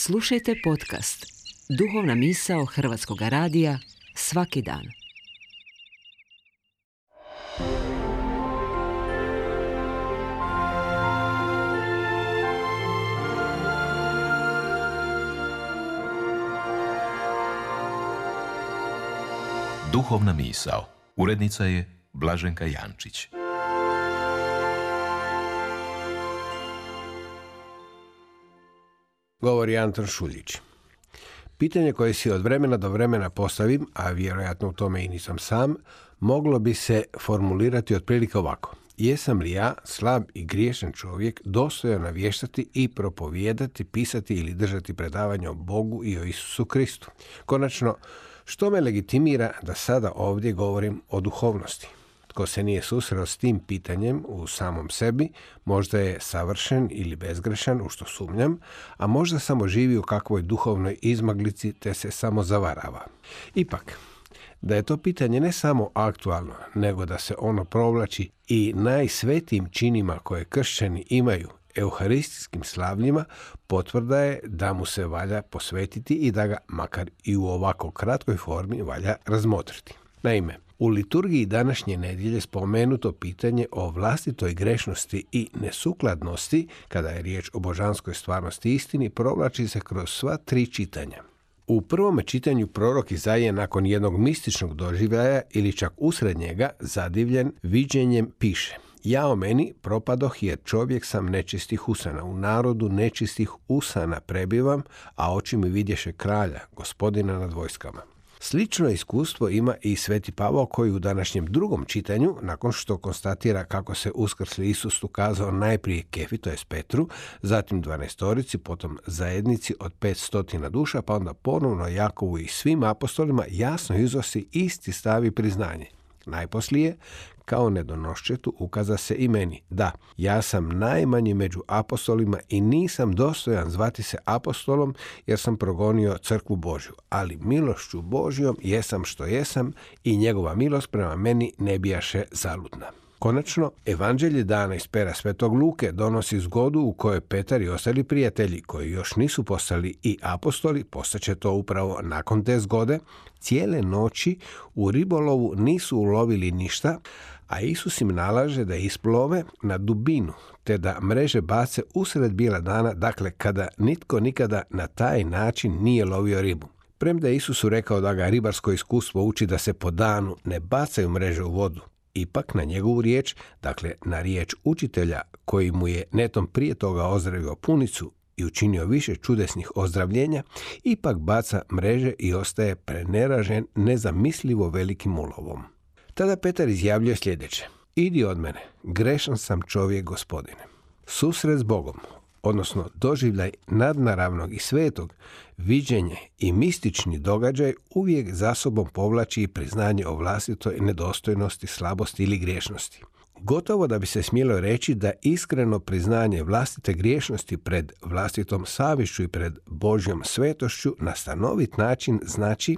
Slušajte podcast Duhovna misao Hrvatskog radija svaki dan. Duhovna misao. Urednica je Blaženka Jančić. Govori Anton Šuljić. Pitanje koje si od vremena do vremena postavim, a vjerojatno u tome i nisam sam, moglo bi se formulirati otprilike ovako. Jesam li ja, slab i griješan čovjek, dostojan navještati i propovijedati, pisati ili držati predavanje o Bogu i o Isusu Kristu? Konačno, što me legitimira da sada ovdje govorim o duhovnosti? Tko se nije susreo s tim pitanjem u samom sebi, možda je savršen ili bezgrešan, u što sumnjam, a možda samo živi u kakvoj duhovnoj izmaglici te se samo zavarava. Ipak, da je to pitanje ne samo aktualno, nego da se ono provlači i najsvetijim činima koje kršćani imaju, euharistijskim slavljima, potvrda je da mu se valja posvetiti i da ga, makar i u ovako kratkoj formi, valja razmotriti. Naime, u liturgiji današnje nedjelje spomenuto pitanje o vlastitoj grešnosti i nesukladnosti, kada je riječ o božanskoj stvarnosti i istini, provlači se kroz sva tri čitanja. U prvome čitanju prorok Izaija nakon jednog mističnog doživljaja ili čak usred njega, zadivljen viđenjem, piše: "Jao meni, propadoh jer čovjek sam nečistih usana, u narodu nečistih usana prebivam, a oči mi vidješe kralja, gospodina nad vojskama." Slično iskustvo ima i Sveti Pavao koji u današnjem drugom čitanju, nakon što konstatira kako se uskrsli Isus ukazao najprije Kefi, to je Petru, zatim 12, potom zajednici od 500 duša, pa onda ponovno Jakovu i svim apostolima, jasno iznosi isti stav i priznanje. Najposlije, kao nedonoščetu, ukaza se i meni. Da, ja sam najmanji među apostolima i nisam dostojan zvati se apostolom jer sam progonio crkvu Božju, ali milošću Božjom jesam što jesam i njegova milost prema meni ne bijaše zaludna. Konačno, evanđelje dana iz pera Svetog Luke donosi zgodu u kojoj Petar i ostali prijatelji, koji još nisu postali i apostoli, postaće to upravo nakon te zgode, cijele noći u ribolovu nisu ulovili ništa, a Isus im nalaže da isplove na dubinu, te da mreže bace usred bijela dana, dakle kada nitko nikada na taj način nije lovio ribu. Premda je Isusu rekao da ga ribarsko iskustvo uči da se po danu ne bacaju mreže u vodu, ipak na njegovu riječ, dakle na riječ učitelja koji mu je netom prije toga ozdravio punicu i učinio više čudesnih ozdravljenja, ipak baca mreže i ostaje preneražen nezamislivo velikim ulovom. Tada Petar izjavljuje sljedeće: "Idi od mene, grešan sam čovjek, Gospodine." Susret s Bogom, odnosno doživljaj nadnaravnog i svetog, viđenje i mistični događaj uvijek za sobom povlači i priznanje o vlastitoj nedostojnosti, slabosti ili griješnosti. Gotovo da bi se smjelo reći da iskreno priznanje vlastite griješnosti pred vlastitom savješću i pred Božjom svetošću na stanovit način znači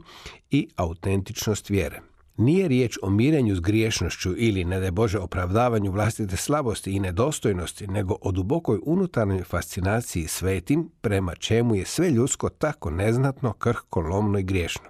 i autentičnost vjere. Nije riječ o mirenju s griješnošću ili, ne daj Bože, opravdavanju vlastite slabosti i nedostojnosti, nego o dubokoj unutarnjoj fascinaciji svetim, prema čemu je sve ljudsko tako neznatno, krhko, lomno i griješno.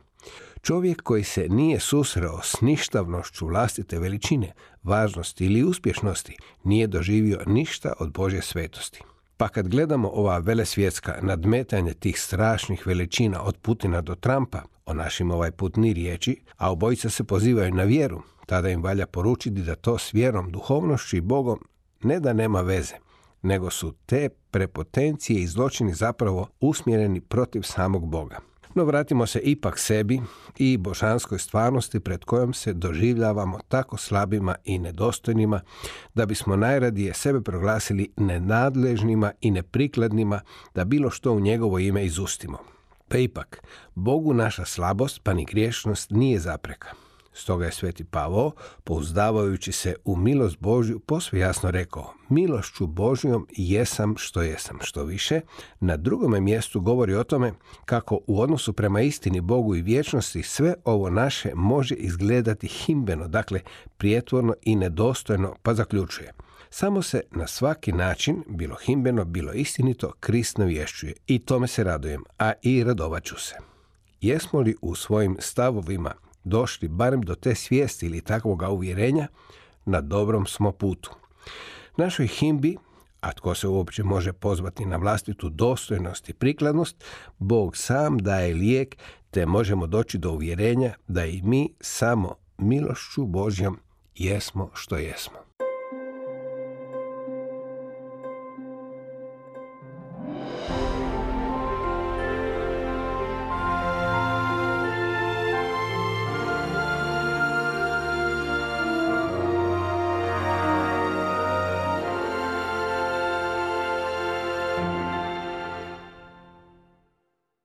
Čovjek koji se nije susreo s ništavnošću vlastite veličine, važnosti ili uspješnosti, nije doživio ništa od Božje svetosti. Pa kad gledamo ova velesvjetska nadmetanja tih strašnih veličina od Putina do Trumpa, o našim ovaj put ni riječi, a obojica se pozivaju na vjeru, tada im valja poručiti da to s vjerom, duhovnošću i Bogom ne da nema veze, nego su te prepotencije i zločini zapravo usmjereni protiv samog Boga. No vratimo se ipak sebi i božanskoj stvarnosti pred kojom se doživljavamo tako slabima i nedostojnima da bismo najradije sebe proglasili nenadležnima i neprikladnima da bilo što u njegovo ime izustimo. Pa ipak, Bogu naša slabost pa ni griješnost nije zapreka. Stoga je Sveti Pavao, pouzdavajući se u milost Božju, posve jasno rekao: "Milošću Božjom jesam što jesam." Što više, na drugome mjestu govori o tome kako u odnosu prema istini, Bogu i vječnosti sve ovo naše može izgledati himbeno, dakle prijetvorno i nedostojno, pa zaključuje: Samo se na svaki način, bilo himbeno, bilo istinito, Krist navješćuje. I tome se radujem, a i radovat ću se. Jesmo li u svojim stavovima došli barem do te svijesti ili takvoga uvjerenja, na dobrom smo putu. Našoj himbi, a tko se uopće može pozvati na vlastitu dostojnost i prikladnost, Bog sam daje lijek, te možemo doći do uvjerenja da i mi samo milošću Božjom jesmo što jesmo.